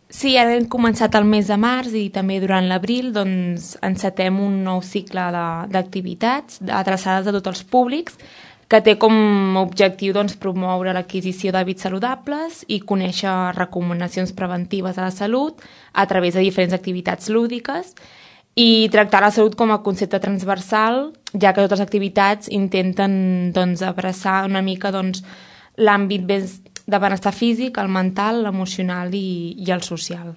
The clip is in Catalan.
Sí, ara hem començat el mes de març i també durant l'abril doncs, encetem un nou cicle d'activitats adreçades a tots els públics que té com a objectiu doncs, promoure l'adquisició d'hàbits saludables i conèixer recomanacions preventives a la salut a través de diferents activitats lúdiques i tractar la salut com a concepte transversal, ja que totes les activitats intenten doncs, abraçar una mica doncs, l'àmbit de benestar físic, el mental, l'emocional i el social.